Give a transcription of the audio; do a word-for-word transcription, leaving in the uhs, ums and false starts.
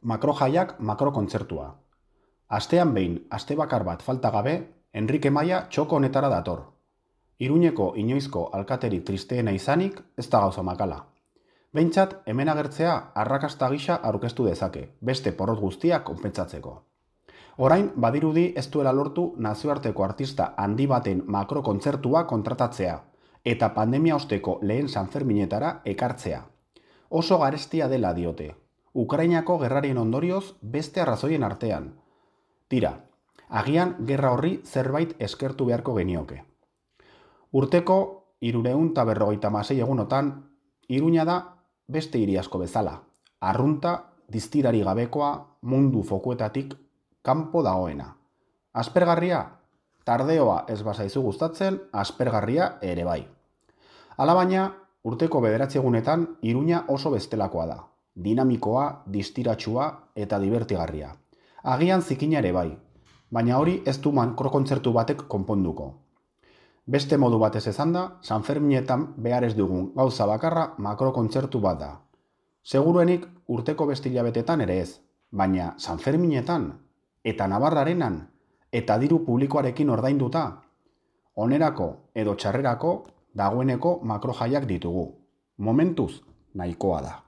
Makrojaiak makrokontzertua. Astean behin, aste bakar bat falta gabe, Enrique Maia txoko honetara dator. Iruñeko inoizko alkaterik tristeena izanik, ez da gauza makala. Behintzat, hemen agertzea arrakasta gisa aurkeztu dezake, beste porrot guztiak konpentsatzeko. Orain, badirudi ez duela lortu nazioarteko artista handi baten makrokontzertua kontratatzea, eta pandemia osteko lehen Sanferminetara ekartzea. Oso garestia dela diote. Ukrainako gerrarien ondorioz beste arrazoien artean. Tira, agian gerra horri zerbait eskertu beharko genioke. Urteko hirurehun eta berrogeita hamasei egunotan, Iruña da beste hiri asko bezala. Arrunta, diztirari gabekoa, mundu fokuetatik kanpo dagoena. Aspergarria? Tardeoa ez bazaizu gustatzen, aspergarria ere bai. Alabaina, urteko bederatzi egunetan Iruña oso bestelakoa da. Dinamikoa, distiratsua eta divertigarria. Agian zikina ere bai, baina hori ez du makrokontzertu batek konponduko. Beste modu batez esanda, Sanferminetan behar ez dugun gauza bakarra makrokontzertu bat da. Seguruenik urteko beste hilabetetan ere ez, baina Sanferminetan eta Navarrarenan eta diru publikoarekin ordainduta, onerako edo txarrerako dagoeneko makrojaiak ditugu. Momentuz, nahikoa da.